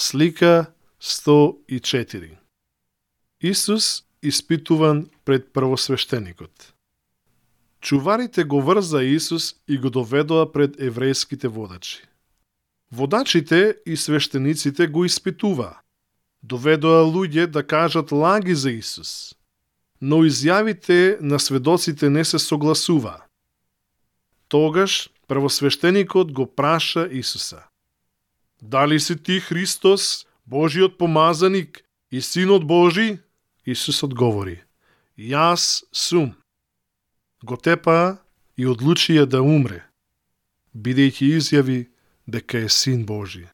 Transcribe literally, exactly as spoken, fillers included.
Слика сто и четири. Исус испитуван пред првосвештеникот. Чуварите го врза Исус и го доведоа пред еврејските водачи. Водачите и свештениците го испитуваа. Доведоа луѓе да кажат лаги за Исус, но изјавите на сведоците не се согласуваа. Тогаш првосвештеникот го праша Исуса: Дали си ти Христос, Божиот помазаник и Синот Божи? Исус одговори: Јас сум. Го тепаа и одлучија да умре, бидејќи изјави дека е Син Божи.